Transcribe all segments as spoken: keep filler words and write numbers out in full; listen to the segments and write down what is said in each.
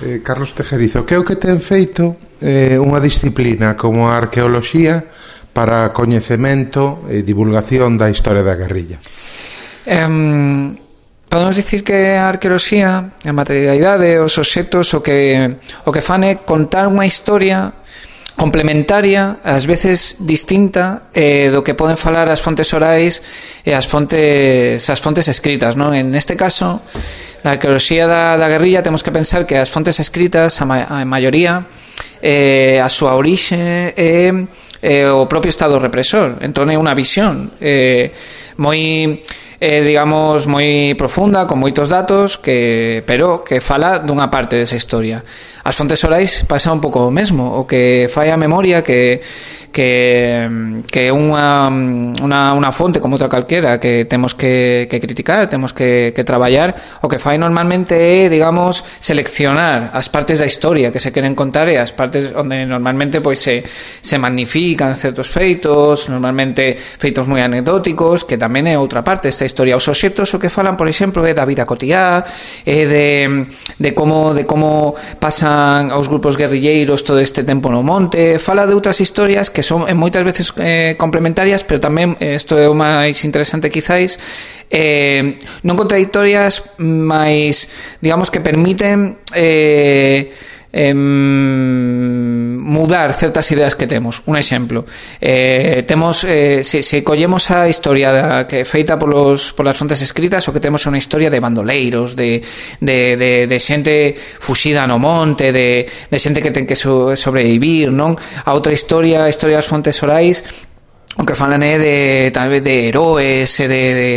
Eh, Carlos Tejerizo, que é o que ten feito eh, unha disciplina como a arqueoloxía para coñecemento e divulgación da historia da guerrilla? Um, podemos dicir que a arqueoloxía, a materialidade, os obxectos, o que, o que fan é contar unha historia complementaria, ás veces distinta eh, do que poden falar as fontes orais e as fontes as fontes escritas, non? En este caso, da arqueoloxía da, da guerrilla, temos que pensar que as fontes escritas, a, ma a maioría, eh, a súa orixe é eh, o propio Estado represor. Entón é unha visión eh, moi eh, digamos moi profunda, con moitos datos, que pero que fala dunha parte desa historia. As fontes orais pasa un pouco o mesmo, o que fai a memoria que que que unha unha unha fonte como outra calquera que temos que que criticar, temos que que traballar, o que fai normalmente é, digamos, seleccionar as partes da historia que se queren contar e as partes onde normalmente pois se se magnifican certos feitos, normalmente feitos moi anecdóticos, que tamén é outra parte desta historia. Os obxectos o que falan, por exemplo, é da vida cotiá, é de de como de como pasan os grupos guerrilleiros todo este tempo no monte, fala de outras historias que son moitas veces eh, complementarias, pero tamén, isto é o máis interesante quizáis, eh, non contradictorias, máis, digamos, que permiten eh, eh, mudar certas ideas que temos. Un exemplo, eh, temos eh, se, se collemos a historia da, que é feita polos, polas fontes escritas, o que temos é unha historia de bandoleiros, de, de, de, de xente fuxida no monte, de, de xente que ten que so, sobrevivir, non? A outra historia, a historia das fontes orais, o que falan é de tal vez de heróis e de, de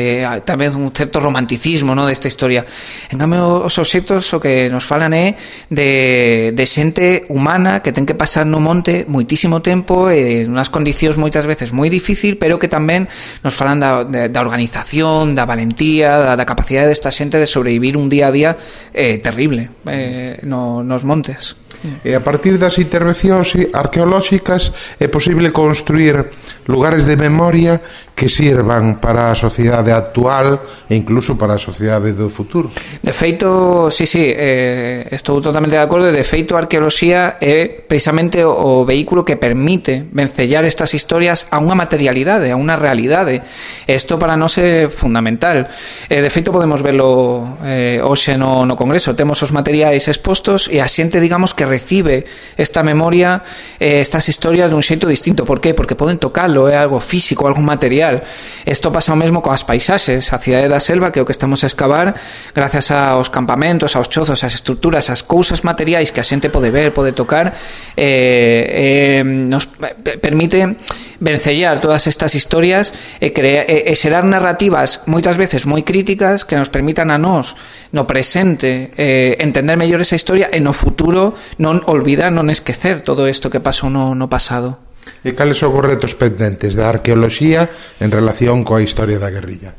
tamén un certo romanticismo, no, desta historia. En cambio, os obxectos o que nos falan é de, de xente humana que ten que pasar no monte moitísimo tempo e en unhas condicións moitas veces moi difícil, pero que tamén nos falan da, da, da organización, da valentía, da, da capacidade desta xente de sobrevivir un día a día eh, terrible eh, no, nos montes. E a partir das intervencións arqueolóxicas é posible construir lugares de memoria que sirvan para a sociedade actual e incluso para a sociedade do futuro. De feito, sí, sí, eh, estou totalmente de acordo. De feito, a arqueoloxía é precisamente o, o vehículo que permite vencellar estas historias a unha materialidade, a unha realidade. Isto para nós é fundamental. Eh, de feito, podemos verlo eh, hoxe no, no Congreso. Temos os materiais expostos e a xente, digamos, que recibe esta memoria, eh, estas historias dun xeito distinto. Por qué? Porque poden tocarlo, é algo físico, algo material. Isto pasa o mesmo coas paisaxes. A cidade da selva, que é o que estamos a excavar, gracias aos campamentos, aos chozos, ás estruturas, ás cousas materiais que a xente pode ver, pode tocar, eh, eh, nos permite vencellar todas estas historias e, crea, e, e xerar narrativas moitas veces moi críticas que nos permitan a nós no presente eh, entender mellor esa historia e no futuro non olvidar, non esquecer todo isto que pasou no, no pasado. E cales son os retos pendentes da arqueoloxía en relación coa historia da guerrilla?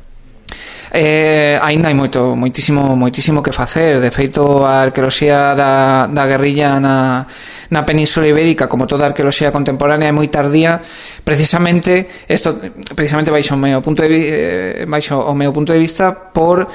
Eh, aínda hai moito, moitísimo, moitísimo que facer. De feito, a arqueoloxía da, da guerrilla na, na Península Ibérica, como toda a arqueoloxía contemporánea, é moi tardía, precisamente esto, precisamente baixo o meu punto de, eh, baixo o meu punto de vista por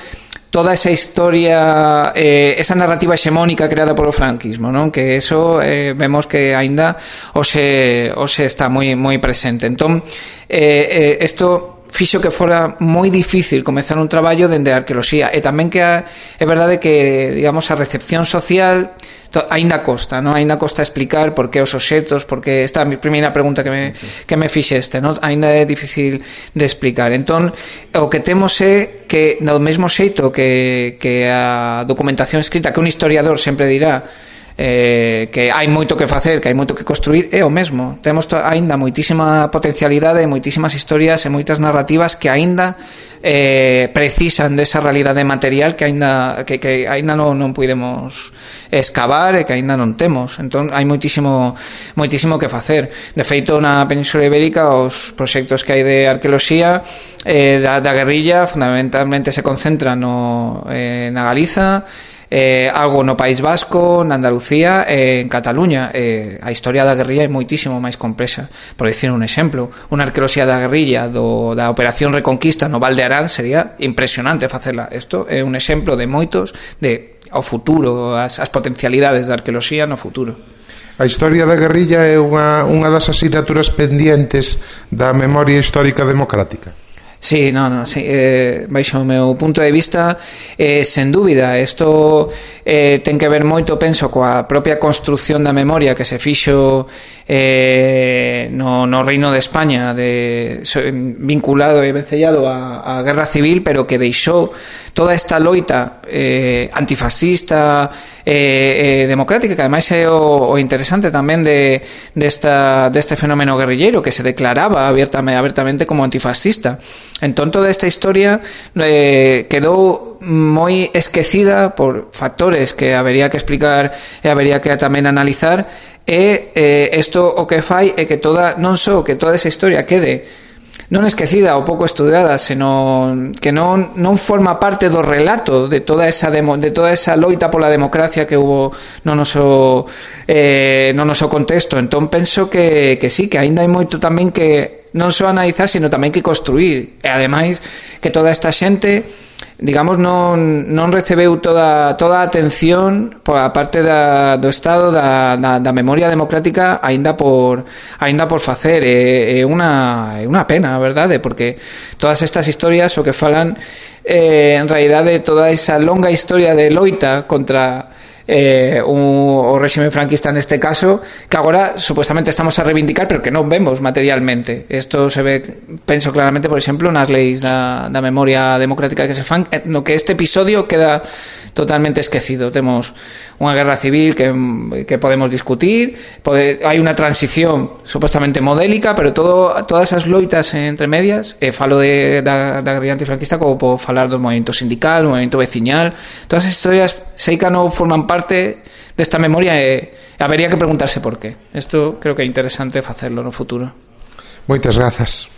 toda esa historia, eh, esa narrativa hexemónica creada polo franquismo, non? Que eso eh, vemos que aínda hoxe, hoxe está moi moi presente. Entón, eh, eh, isto fixo que fora moi difícil comezar un traballo dende a arqueoloxía, e tamén que a, é verdade que, digamos, a recepción social aínda costa, non? Aínda costa explicar por que os obxectos, porque esta é a primeira pregunta que me, que me fixeste, non? Aínda é difícil de explicar. Entón, o que temos é que, no mesmo xeito que, que a documentación escrita, que un historiador sempre dirá eh, que hai moito que facer, que hai moito que construir, é o mesmo. Temos aínda moitísima potencialidade, moitísimas historias e moitas narrativas que aínda eh, precisan desa realidade material que aínda que, que aínda non, non podemos excavar e que aínda non temos. Entón hai moitísimo moitísimo que facer. De feito, na Península Ibérica os proxectos que hai de arqueoloxía eh, da, da guerrilla fundamentalmente se concentran no, eh, na Galiza, eh, algo no País Vasco, na Andalucía e en Cataluña. Eh, a historia da guerrilla é moitísimo máis complexa. Por dicir un exemplo, unha arqueoloxía da guerrilla do, da Operación Reconquista no Val de Arán sería impresionante facela. Isto é un exemplo de moitos de ao futuro, as, as potencialidades da arqueoloxía no futuro. A historia da guerrilla é unha, unha das asignaturas pendientes da memoria histórica democrática. Sí, no, no, sí, eh, baixo o meu punto de vista, eh, sen dúbida, isto eh, ten que ver moito, penso, coa propia construción da memoria que se fixo eh, no, no Reino de España, de, so, vinculado e vencellado á Guerra Civil, pero que deixou toda esta loita eh, antifascista, eh, eh, democrática, que ademais é o, o interesante tamén de, de esta, deste fenómeno guerrilleiro, que se declaraba abiertamente, abiertamente como antifascista. Entón, toda esta historia eh, quedou moi esquecida por factores que habería que explicar e habería que tamén analizar, e eh, isto o que fai é que toda, non só que toda esa historia quede non esquecida ou pouco estudada, senón que non, non forma parte do relato de toda esa demo, de toda esa loita pola democracia que hubo no noso eh, no noso contexto. Entón penso que, que sí, que aínda hai moito tamén que non só analizar, sino tamén que construir, e ademais que toda esta xente, digamos, non, non recebeu toda, toda a atención por a parte da, do Estado da, da, da memoria democrática aínda por aínda por facer. É, é, unha, é unha pena, a verdade, porque todas estas historias o que falan eh, en realidade toda esa longa historia de loita contra eh, un, o réxime franquista neste caso, que agora supuestamente estamos a reivindicar, pero que non vemos materialmente. Isto se ve, penso claramente, por exemplo, nas leis da, da memoria democrática que se fan, no que este episodio queda totalmente esquecido. Temos unha guerra civil que, que podemos discutir, pode, hai unha transición supuestamente modélica, pero todo, todas esas loitas entre medias, e falo de, da, da guerrilla antifranquista, como podo falar do movimento sindical, do movimento veciñal, todas as historias sei que non forman parte desta memoria, e habería que preguntarse por qué. Isto creo que é interesante facerlo no futuro. Moitas grazas.